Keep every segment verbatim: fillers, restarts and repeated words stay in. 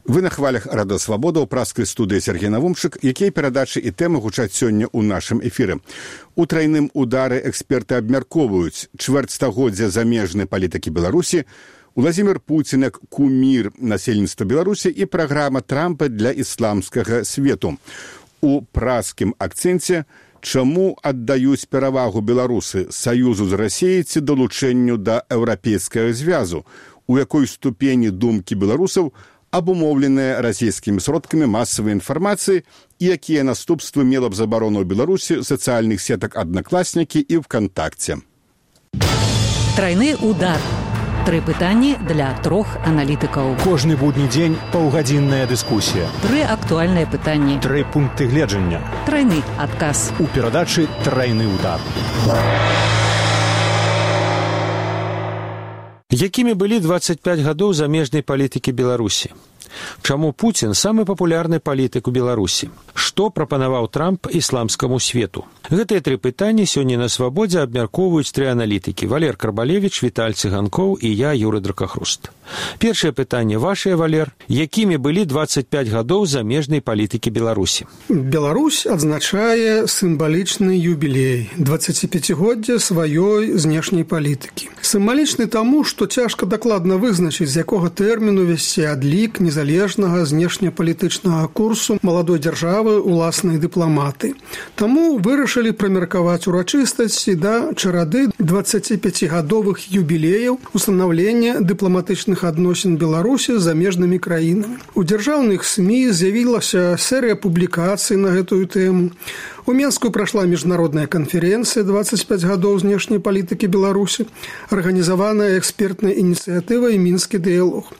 Вы на хвалях Радыё Свабода ў праскай студыі Сергей Навумчык, якія перадачы і тэмы гучаць сёння ў нашым эфіры. У трайным удары эксперты абмяркоўваюць чвэрцьстагоддзя замежнай палітыкі Беларусі, Уладзімір Пуцін як кумір насельніцтва Беларусі і праграма Трампа для ісламскага свету. У праскім акцэнце чаму аддаюць перавагу беларусы саюзу з Расіяй ці далучэнню да еўрапейскага звязу, у якой ступені думкі беларусаў абумоўленыя расійскімі сродкамі масавай інфармацыі і якія наступствы мела б забарону ў Беларусі сацыяльных сетак «Аднакласнікі» і «ВКонтакце». Трайны удар. Тры пытанні для трох аналітыкаў. Кожны будні дзень паўгадзінная дыскусія. Тры актуальныя пытанні. Тры пункты гледжання. Трайны адказ. У перадачы «Трайны удар». Якімі былі дваццаць пяць гадоў замежнай палітыкі Беларусі? Чаму Пуцін самы папулярны палітык у Беларусі? Што прапанаваў Трамп ісламскаму свету? Гэтыя тры пытанні сёння на Свабодзе абмяркоўваюць тры аналітыкі: Валер Карбалевіч, Віталь Цыганкоў і я, Юры Дракахруст. Першае пытанне вашае, Валер. Якімі былі дваццаць пяць гадоў замежнай палітыкі Беларусі? Беларусь адзначае сімвалічны юбілей – дваццаціпяцігоддзе сваёй знешняй палітыкі. Сімвалічны таму, што цяжка дакладна вызначыць, з якога тэрміну весці адлік незалежнага знешнепалітычнага курсу маладой дзяржавы уласнай дыпламаты. Таму вырашылі прамеркаваць урачыстасці да чарады дваццаціпяцігадовых юбілеяў устанаўлення дыпламатычных адносін Беларусі з замежнымі краінамі. У дзяржаўных СМІ з'явілася серыя публікацый на гэтую тэму. У Менску прайшла міжнародная канферэнцыя дваццаць пяць гадоў знешняй палітыкі Беларусі, арганізаваная экспертнай ініцыятывай «Мінскі дыялог».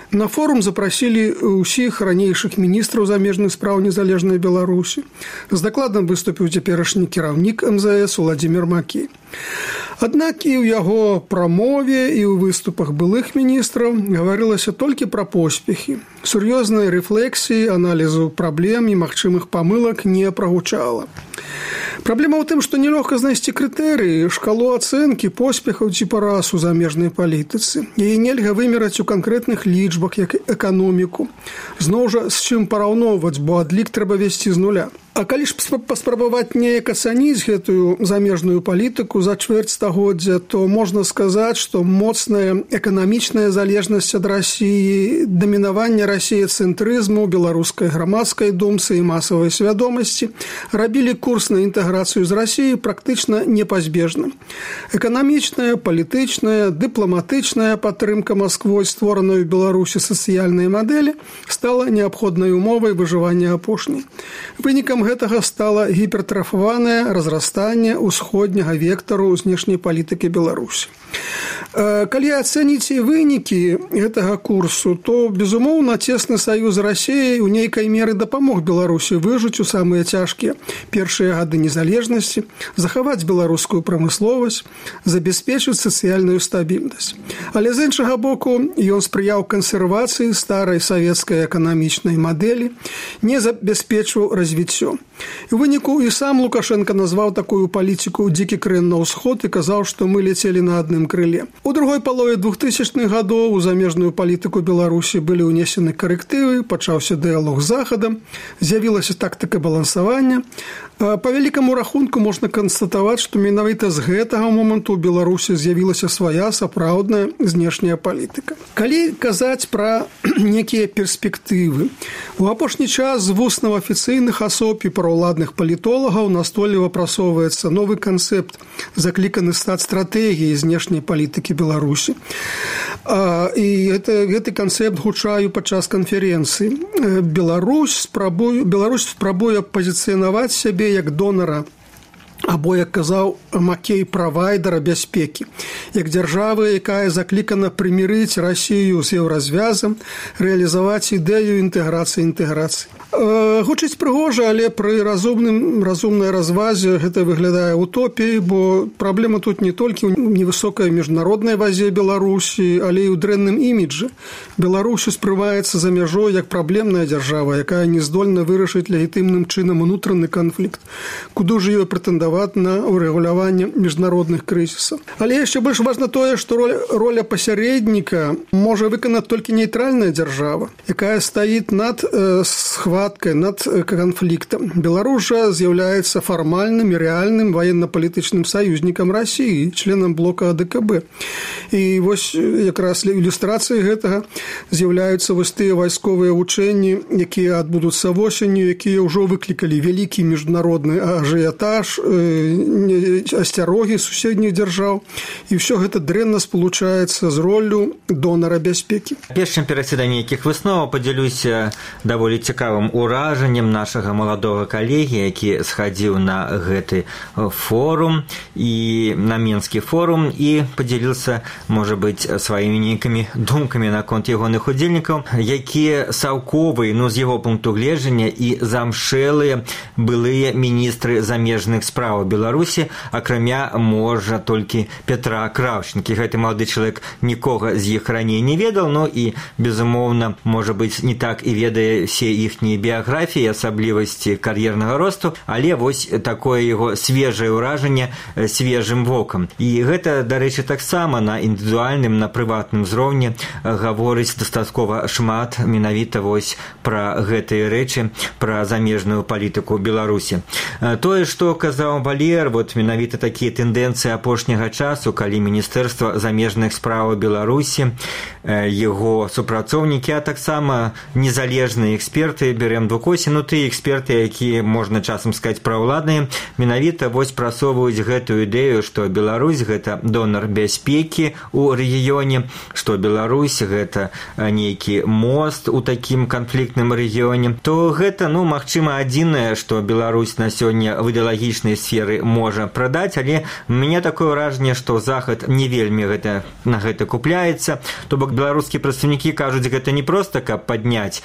На форум запрасілі ўсіх ранейшых міністраў замежных спраў незалежнай Беларусі. З дакладам выступіў цяперашні кіраўнік эм зэ эс Уладзімір Макей. Аднак і ў яго прамове, і ў выступах былых міністраў гаварылася толькі пра поспехі. Сур'ёзнай рэфлексіі, аналізу праблем і магчымых памылак не прагучала. Праблема ў тым, што нелёгка знайсці крытэрыі, шкалу ацэнкі поспехаў ці параз у замежнай палітыцы. Яе нельга вымераць у канкрэтных лічбах, як эканоміку. Зноў жа, з чым параўноўваць, бо адлік трэба весці з нуля. А калі ж паспрабаваць неяк ацаніць гэтую замежную палітыку за чвэрць стагоддзя, то можна сказаць, што моцная эканамічная залежнасць ад Расіі, дамінаванне расіяцэнтрызму, беларускай грамадскай думцы і масавай свядомасці рабілі курс на інтэграцыю з Расіяй практычна непазбежным. Эканамічная, палітычная, дыпламатычная падтрымка Масквой створаной у Беларусі сацыяльнай мадэлі стала неабходнай умовай выжывання апошняй. Вынікам гэтага стала гіпертрафаванае разрастанне ўсходняга вектару знешняй палітыкі Беларусі. Калі ацэніць вынікі гэтага курсу, то, безумоўна, цесны саюз з Расіяй у нейкай меры дапамог Беларусі выжыць у самыя цяжкія першыя гады незалежнасці, захаваць беларускую прамысловасць, забяспечыць сацыяльную стабільнасць. Але з іншага боку, ён спрыяў кансервацыі старай савецкай эканамічнай мадэлі, не забяспечваў развіццё. І ў выніку і сам Лукашенко назваў такую палітыку «дзікі крэн на ўсход» і казаў, што мы ляцелі на адным крыле. У другой палове двухтысячных гадоў у замежную палітыку Беларусі былі ўнесены карэктывы, пачаўся дыялог з Захадам, з'явілася тактыка балансавання. Па вялікаму рахунку можна канстатаваць, што менавіта з гэтага моманту ў Беларусі з'явілася свая сапраўдная знешняя палітыка. Калі казаць пра некія перспектывы, у апошні час з вуснаў афіцыйных асоб і параўладных палітолагаў настойліва прасоўваецца новы канцэпт, закліканы стаць стратэгіяй знешняй палітыкі Беларусі. І гэта, гэты канцэпт гучаю падчас канферэнцыі. Беларусь спрабуе, Беларусь спрабуе пазіцыянаваць сябе як донара, або, як казаў Макей, правайдара бяспекі, як дзяржава, якая заклікана прымірыць Расію з еўразвязам, рэалізаваць ідэю інтэграцыі інтэграцыі. Гучыць прыгожа, але пры разумным, разумнай развазе гэта выглядае утопіяй, бо праблема тут не толькі ў невысокай міжнароднай вазе Беларусі, але і ў дрэнным іміджы. Беларусь успрымаецца за мяжой як праблемная дзяржава, якая не здольна вырашыць легітымным чынам унутраны канфлікт. Куды ж ёй прэтэндаваць прэтэндаваць на урэгуляванне міжнародных крызісаў. Але яшчэ больш важна тое, што роля, роля пасярэдніка можа выканаць толькі нейтральная дзяржава, якая стаіць над э, схваткай, над э, канфліктам. Беларусь жа з'яўляецца фармальным і рэальным военно-палітычным саюзнікам Расіі, членам блока А Дэ Ка Бэ. І вось якраз ілюстрацыяй гэтага з'яўляюцца вось тыя вайсковыя вучэнні, якія адбудуцца восенню, якія ўжо выклікалі вялікі міжнародны ажыятаж, э, асцярогі суседніх дзяржаў. І ўсё гэта дрэнна спалучаецца з роллю донара бяспекі. Перш чым перайсці да нейкіх высноваў, падзялюся даволі цікавым уражаннем нашага маладога калегі, які схадзіў на гэты форум і на Мінскі форум і падзяліўся, можа быць, сваімі нейкімі думкамі наконт ягоных удзельнікаў, якія саўковыя, ну, з яго пункту гледжання і замшэлыя былыя міністры замежных спраў Беларусі, акрамя, можа, толькі Петра Краўчынкі. Гэты малады чалавек нікога з іх раней не ведаў, ну і, безумоўна, можа быць, не так і ведае все іхнія біяграфіі, асаблівасці кар'ернага росту, але вось такое яго свежае ўражанне свежым вокам. І гэта, дарэчы, таксама на індывідуальным, на прыватным узроўні гаворыць дастаткова шмат менавіта вось пра гэтыя рэчы, пра замежную палітыку Беларусі. Тое, што казаў Валер, вот менавіта такія тэндэнцыі апошняга часу, калі Міністэрства замежных спраў Беларусі, яго супрацоўнікі, а таксама незалежныя эксперты, берем двукосі, ну тыя эксперты, якія, можна часам сказаць, праўладныя, менавіта вось прасоўваюць гэтую ідэю, што Беларусь гэта донар бяспекі ў рэгіёне, што Беларусь гэта нейкі мост у такім канфліктным рэгіёне, то гэта, ну, магчыма, адзінае, што Беларусь на сёння в ідэалагічнай сферы можа прадаць, але у мяне такое ўражанне, што Захад не вельмі гэта, на гэта купляецца, то бок беларускія прадстаўнікі кажуць, гэта не проста, каб падняць,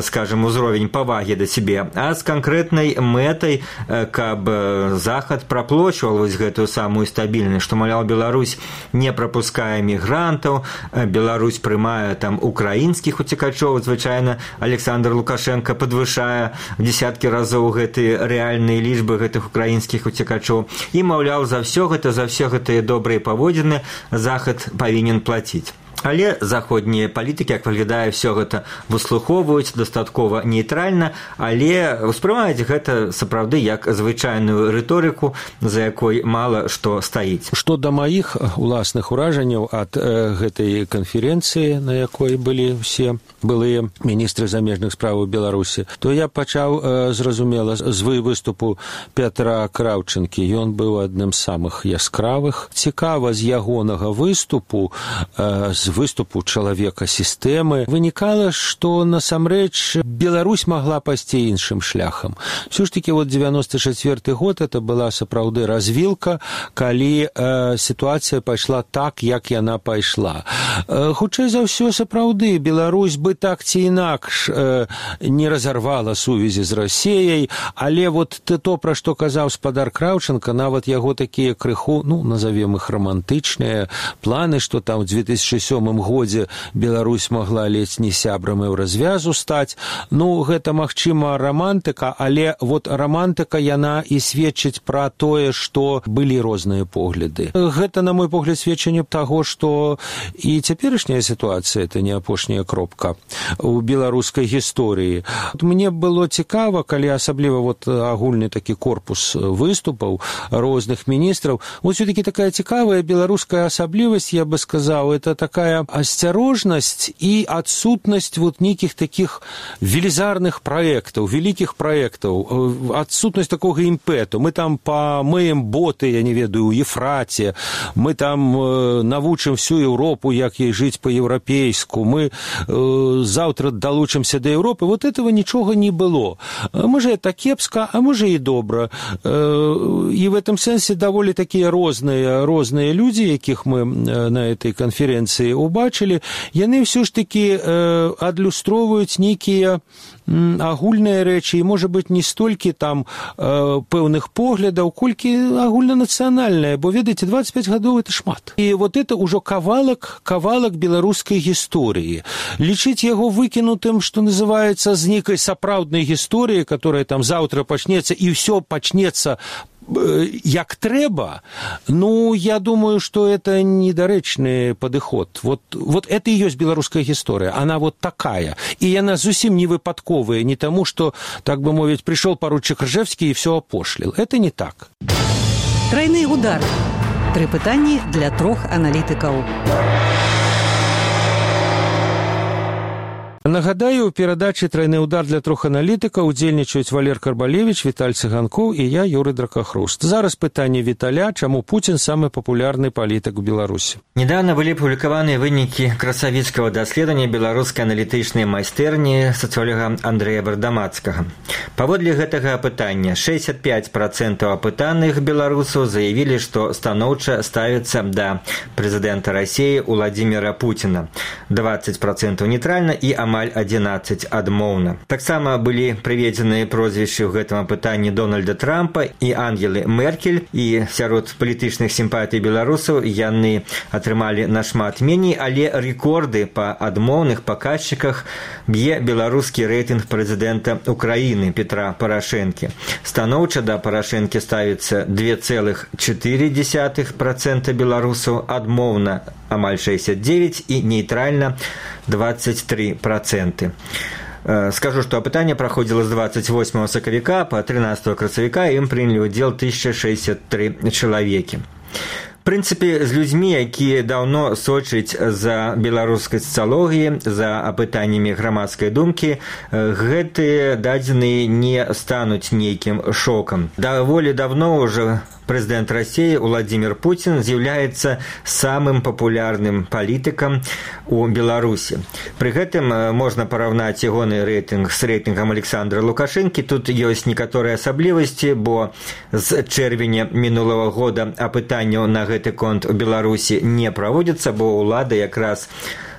скажем, узровень павагі да сябе, а з канкрэтнай мэтай, каб Захад праплочваў вось гэтую самую стабільнасць, што, маўляў, Беларусь не прапускае мігрантаў, Беларусь прымае там украінскіх уцекачоў, звычайна Александр Лукашенко падвышае в десяткі разоў гэтыя рэальныя лічбы гэтых украінскіх уцекачоў. І, маўляў, за ўсё гэта, за ўсе гэтыя добрыя паводзіны Захад павінен плаціць. Але заходнія палітыкі, як выглядае, все гэта выслухоўваюць дастаткова нейтральна, але ўспрымаюць гэта сапраўды як звычайную рыторыку, за якой мала што стаіць. Што да маіх уласных уражанняў ад э, гэтай канферэнцыі, на якой былі все былыя міністры замежных спраў Беларусі, то я пачаў, э, зразумела, з выступу Петра Краўчынкі. Ён быў адным з самых яскравых. Цікава з ягонага выступу, э, з выступу чалавека сістэмы вынікала, што насамрэч Беларусь магла пайсці іншым шляхам. Все ж таки вот девяносто четвёрты год это была сапраўды развілка, калі э, сітуацыя пайшла так, як яна пайшла. Э, хутчэй за ўсё сапраўды Беларусь бы так ці інакш э, не разарвала сувязі з Расіяй, але вот то, пра што казаў спадар Краўчынка, нават яго такія крыху, ну, назовем іх романтычныя планы, што там в две тысячи сёмым годзе Беларусь магла ледзь не сябрам еўразвязу стаць. Ну, гэта, магчыма, романтыка, але вот романтыка, яна і сведчыць пра тое, што былі розныя погляды. Гэта, на мой погляд, сведчанне таго, што і цяперашняя сітуацыя, это не апошняя кропка у беларускай гісторыі. Мне было цікава, калі асабліва вот агульны такі корпус выступаў розных міністраў, вот все-таки такая цікавая беларуская асаблівасць, я бы сказаў, это такая асцярожнасць і адсутнасць вот нейкіх такіх велізарных праектаў, вялікіх праектаў, адсутнасць такога імпэту. Мы там памыем боты, я не ведаю, у Ефраце, мы там э, навучым всю Еўропу, як ей жыць па-еўрапейску, мы э, заўтра далучымся да Еўропы. Вот этого нічога не было. Можа, это кепска, а можа і добра. Э, і в этом сэнсе даволі такія розныя, розныя людзі, якіх мы на этой канферэнцыі убачылі, яны ўсё ж такі э, адлюстроўваюць нейкія агульныя рэчы, і, можа быць, не столькі там э, пэўных поглядаў, колькі агульнанацыянальнае, бо, ведаеце, двадцать пять гадоў – это шмат. І вот это ўжо кавалак, кавалак беларускай гісторыі. Лічыць яго выкінутым, што называецца, з нейкай сапраўднай гісторыі, которая там заўтра пачнецца, і ўсё пачнецца як трэба, ну, я думаю, что это недарэчны падыход. Вот, вот это и есть беларуская гісторыя. Она вот такая. И она зусім не выпадковая, не тому, что, так бы мовить, пришел поручик Ржевский и все опошлил. Это не так. Тройны удар. Тры пытанні для трох аналітыкаў. Нагадаю, у перадачы «Тройны удар» для трох аналітыкаў удзельнічаюць Валер Карбалевич, Віталь Цыганкоў і я, Юрый Дракахруст. Зараз пытанне Віталя, чаму Пуцін самы папулярны палітык у Беларусі. Недавно былі апублікаваныя вынікі красавіцкага даследавання беларускай аналітычнай майстэрні сацыолога Андрэя Бардамацкага. Паводле гэтага апытання шэсцьдзесят пяць працэнтаў апытаных беларусаў заявілі, што станоўча ставяцца да прэзідэнта Расіі Уладзіміра Пуціна, дваццаць працэнтаў нейтральна і амаль адзінаццаць адмоўна. Таксама былі прыведзеныя прозвішчы ў гэтым апытанні Дональда Трампа і Ангелы Меркель, і сярод палітычных сімпатый беларусаў яны атрымалі нашмат меней, але рэкорды па адмоўных паказчыках б'е беларускі рэйтынг прэзідэнта Украіны Петра Парашэнкі. Станоўча да Парашэнкі ставіцца два цэлых чатыры дзесятых працэнта беларусаў, адмоўна амаль шэсцьдзесят дзевяць і нейтральна двадцать три процента. Скажу, что опытание проходило с двадцать восьмого сакавіка по тринадцатого красавіка, и им приняли удел тысяча шестьдесят три человеки. В прынцыпе, з людзьмі, якія даўно сочаць за беларускай сацыялогіяй, за апытаннямі грамадскай думкі, гэтыя дадзеныя не стануць нейкім шокам. Даволі давно ўжо прэзідэнт Расіі Уладзімір Пуцін з'яўляецца самым папулярным палітыкам у Беларусі. Пры гэтым можна параўнаць ягоны рэйтынг з рэйтынгам Александра Лукашэнкі. Тут ёсць некаторыя асаблівасці, бо з чэрвеня мінулага года апытанняў на гэты конт у Беларусі не праводзіцца, бо ўлада якраз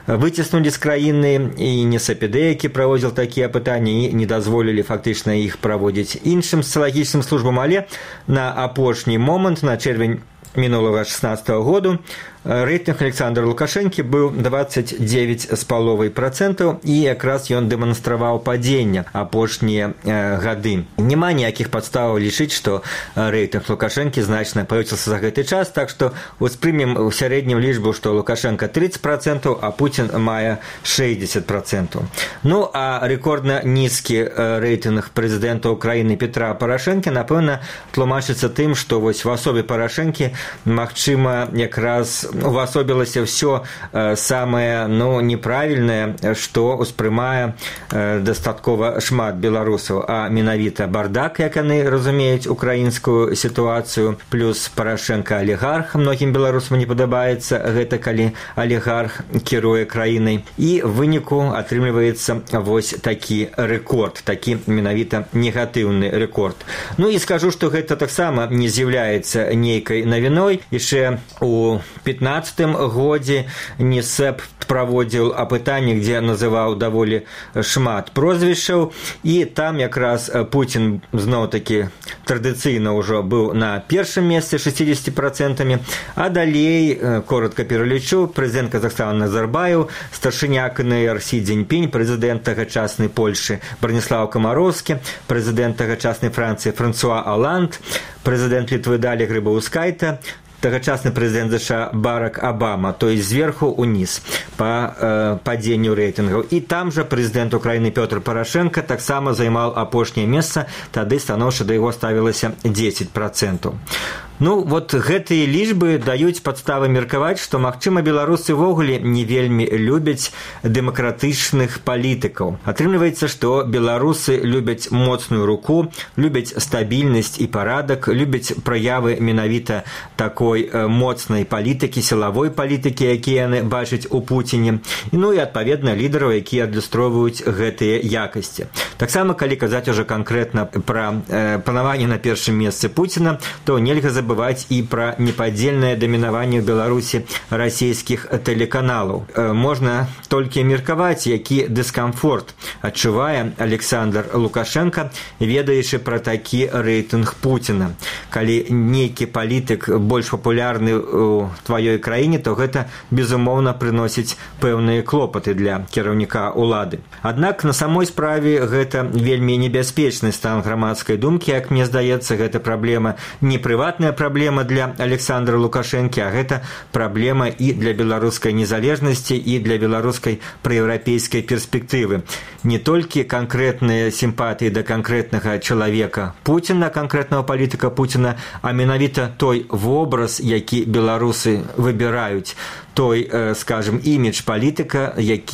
выціснулі з краіны і НСПД, які праводзіў такія апытанні, і не дазволілі фактычна іх праводзіць іншым сацыялагічным службам, але на апошні момант, на чэрвень мінулага шэснаццатага году, рэйтынг Александра Лукашэнкі быў двадцать девять з паловай працэнтаў, і якраз ён дэманстраваў падзенне апошнія э, гады. Няма ніякіх падставаў лічыць, што рэйтынг Лукашэнкі значна павысіўся за гэты час, так што успрымем у сярэднім лічбу, што Лукашенко тридцать процентов, а Путін мае шэсцьдесят процентов. Ну, а рэкордна нізкі рэйтынг прэзідэнта Украіны Петра Парашэнкі, напэўна, тлумачыцца тым, што вось в асобе Парашэнкі, магчыма, якраз увасобілася ўсё э, самае, ну, неправільнае, што ўспрымае э, дастаткова шмат беларусаў, а менавіта бардак, як яны разумеюць украінскую сітуацыю, плюс Парашэнка алігарх. Многім беларусам не падабаецца гэта, калі алігарх кіруе краінай. І в выніку атрымліваецца вось такі рэкорд, такі менавіта негатыўны рэкорд. Ну і скажу, што гэта таксама не з'яўляецца нейкай навіной. Яшчэ у пятнаццатым годзе НСЭП праводзіў апытанне, дзе называў даволі шмат прозвішчаў, і там якраз Пуцін зноў-такі традыцыйна ўжо быў на першым месцы шестьдесят процентов, а далей, коротко пералічу, прэзідэнт Казахстана Назарбаев, старшыня КНР Сі Цзіньпінь, прэзідэнт тагачаснай Польшы Браніслаў Камароўскі, прэзідэнт тагачаснай Францыі Франсуа Оланд, прэзідэнт Літвы Далі Грыбаўскайта, тагачасны прэзідэнт ЗША Барак Обама, то есть зверху униз по э, паденню рэйтынгаў. І там жа прэзідэнт Украіны Пётр Парашэнка таксама займаў апошняе месца, тады станоўча да яго ставілася десять процентов. Ну, вот гэтыя лічбы даюць падставы меркаваць, што, магчыма, беларусы ўвогуле не вельмі любяць дэмакратычных палітыкаў. Атрымліваецца, што беларусы любяць моцную руку, любяць стабільнасць і парадак, любяць праявы менавіта такой моцнай палітыкі, сілавой палітыкі, якія яны бачаць у Пуціне, ну і, адпаведна, лідараў, якія адлюстроўваюць гэтыя якасці. Таксама, калі казаць ужо канкрэтна пра э, панаванне на першым месцы Пуціна, то нельга забываць забываць і пра непадзельнае дамінаванне ў Беларусі расійскіх тэлеканалаў. Можна толькі меркаваць, які дыскамфорт адчувае Александр Лукашенко, ведаючы пра такі рэйтынг Пуціна. Калі нейкі палітык больш папулярны ў тваёй краіне, то гэта, безумоўна, прыносіць пэўныя клопаты для кіраўніка ўлады. Аднак на самой справе гэта вельмі небяспечны стан грамадскай думкі, як мне здаецца, гэта праблема не прыватная праблема для Александра Лукашэнкі, а гэта праблема і для беларускай незалежнасці, і для беларускай праеўрапейскай перспектывы. Не толькі канкрэтныя сімпатыі да канкрэтнага чалавека Пуціна, канкрэтнага палітыка Пуціна, а менавіта той вобраз, які беларусы выбіраюць, той, скажем, імідж палітыка, які